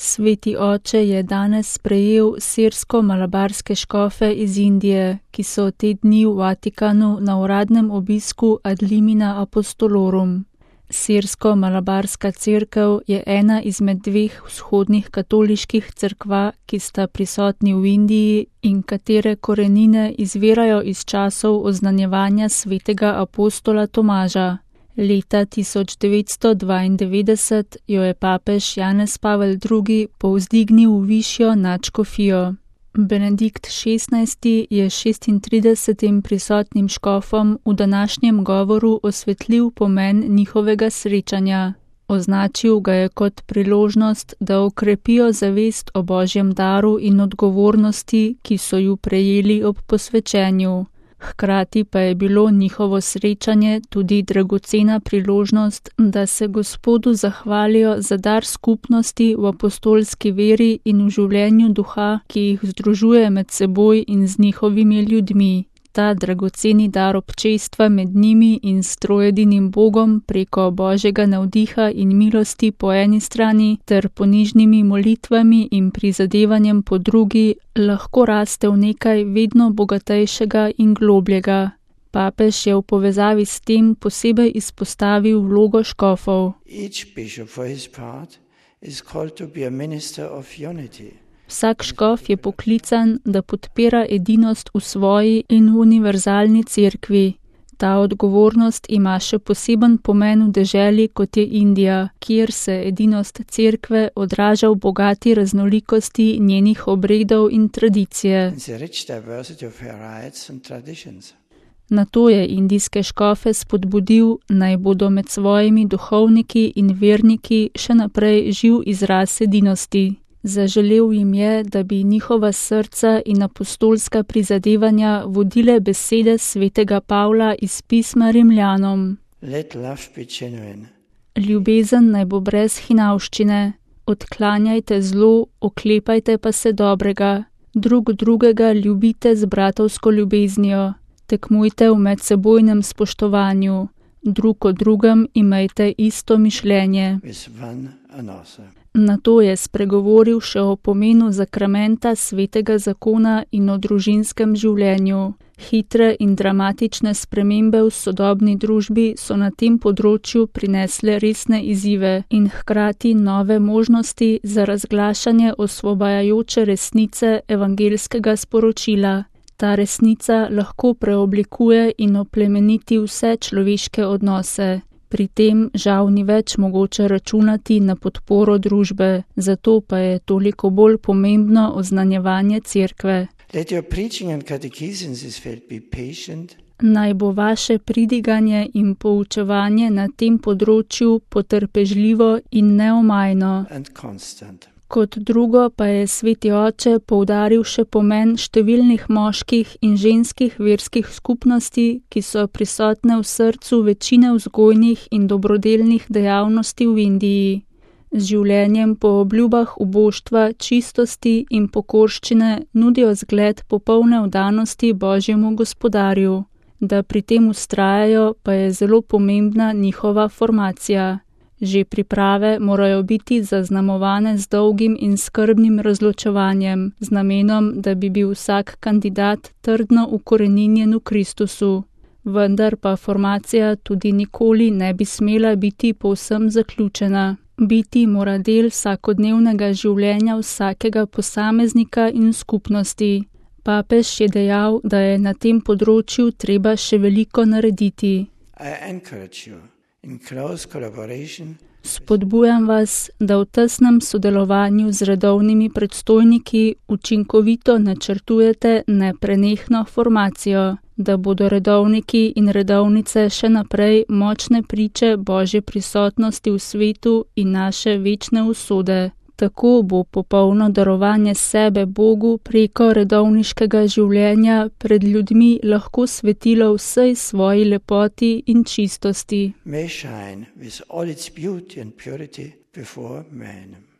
Sveti oče je danes sprejel sirsko-malabarske škofe iz Indije, ki so te dni v Vatikanu na uradnem obisku ad limina apostolorum. Sirsko-malabarska cerkev je ena izmed dveh vzhodnih katoliških cerkva, ki sta prisotni v Indiji in katere korenine izvirajo iz časov oznanjevanja svetega apostola Tomaža. Leta 1992 jo je papež Janez Pavel II. Povzdignil v višjo nadškofijo. Benedikt XVI. Je 36 prisotnim škofom v današnjem govoru osvetlil pomen njihovega srečanja. Označil ga je kot priložnost, da okrepijo zavest o Božjem daru in odgovornosti, ki so ju prejeli ob posvečenju. Hkrati pa je bilo njihovo srečanje tudi dragocena priložnost, da se Gospodu zahvalijo za dar skupnosti v apostolski veri in v življenju duha, ki jih združuje med seboj in z njihovimi ljudmi. Ta dragoceni dar občestva med njimi in s troedinim Bogom preko Božjega navdiha in milosti po eni strani ter ponižnimi molitvami in prizadevanjem po drugi lahko raste v nekaj vedno bogatejšega in globljega. Papež je v povezavi s tem posebej izpostavil vlogo škofov. Vsak škof je poklican, da podpira edinost v svoji in v univerzalni cerkvi. Ta odgovornost ima še poseben pomen v deželi, kot je Indija, kjer se edinost cerkve odraža v bogati raznolikosti njenih obredov in tradicije. Na to je indijske škofe spodbudil, naj bodo med svojimi duhovniki in verniki še naprej živ izraz edinosti. Zaželel jim je, da bi njihova srca in apostolska prizadevanja vodile besede svetega Pavla iz pisma Rimljanom. Ljubezen naj bo brez hinavščine, odklanjajte zlo, oklepajte pa se dobrega, drug drugega ljubite z bratovsko ljubeznijo, tekmujte v medsebojnem spoštovanju, drug o drugem imejte isto mišljenje. Na to je spregovoril še o pomenu zakramenta svetega zakona in o družinskem življenju. Hitre in dramatične spremembe v sodobni družbi so na tem področju prinesle resne izzive in hkrati nove možnosti za razglašanje osvobajajoče resnice evangelskega sporočila. Ta resnica lahko preoblikuje in oplemeniti vse človeške odnose. Pri tem žal ni več mogoče računati na podporo družbe, zato pa je toliko bolj pomembno oznanjevanje cerkve. Naj bo vaše pridiganje in poučevanje na tem področju potrpežljivo in neomajno. Kot drugo pa je sveti oče poudaril še pomen številnih moških in ženskih verskih skupnosti, ki so prisotne v srcu večine vzgojnih in dobrodelnih dejavnosti v Indiji. Z življenjem po obljubah uboštva, čistosti in pokorščine nudijo zgled popolne vdanosti Božjemu gospodarju. Da pri tem vztrajajo, pa je zelo pomembna njihova formacija. Že priprave morajo biti zaznamovane z dolgim in skrbnim razločevanjem, z namenom, da bi bil vsak kandidat trdno ukoreninjen v Kristusu. Vendar pa formacija tudi nikoli ne bi smela biti povsem zaključena. Biti mora del vsakodnevnega življenja vsakega posameznika in skupnosti. Papež je dejal, da je na tem področju treba še veliko narediti. Spodbujam vas, da v tesnem sodelovanju z redovnimi predstojniki učinkovito načrtujete neprenehno formacijo, da bodo redovniki in redovnice še naprej močne priče Božje prisotnosti v svetu in naše večne usode. Tako bo popolno darovanje sebe Bogu preko redovniškega življenja pred ljudmi lahko svetilo vsej svoji lepoti in čistosti. May shine with all its beauty and purity before men.